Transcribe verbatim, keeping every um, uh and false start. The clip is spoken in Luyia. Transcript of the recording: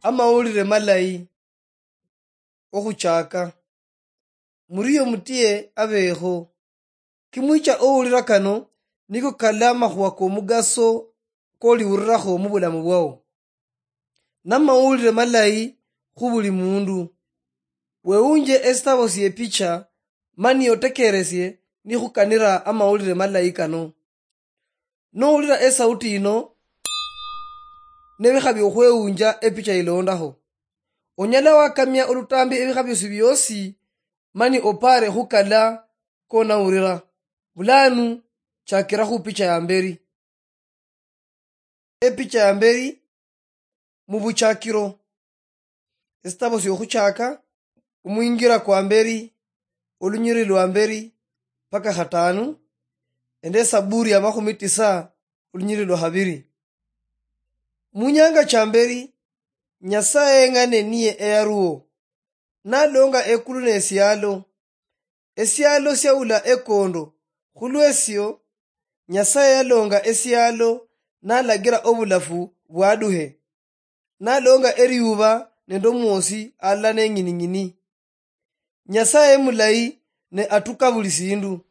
Amawulire malayi. Okhuchaka. Murio mutie abeekho. Kimwicha owulira kano niko kali amakhuwa komugaso koliwurirakho mubulamu bwao. Namawulire malayi khubuli mundu. Wewunje esitabo siepicha mani otekeresie nikhukanira amawulire malayi kano. Nowulira esauti yino, nebikha biokhwewunja epicha ilondaho, onyala wakamia olutambi ebikha biosi biosi mani opare khukala konawulira. Bulanu chakira khupicha yamberi. Epicha yamberi mubuchakiro. Esitabo siokhuchaka, omwingira kwamberi, olunyiriri lwamberi paka khatanu, ende esaburi yamakhumi tisa, olunyiriri lwakhabiri. Munyanga chamberi, Nyasaye eng'ane niye eyaruo, nalonga ekulu nesialo. Esialo siaula ekondo. Khulwesio, Nyasaye yalonga esialo nalagira obulafu bwaduhe. Nalonga eriuba nende omwosi alala neng'ining'ini. Nyasaye mulayi ne atuka buli sindu.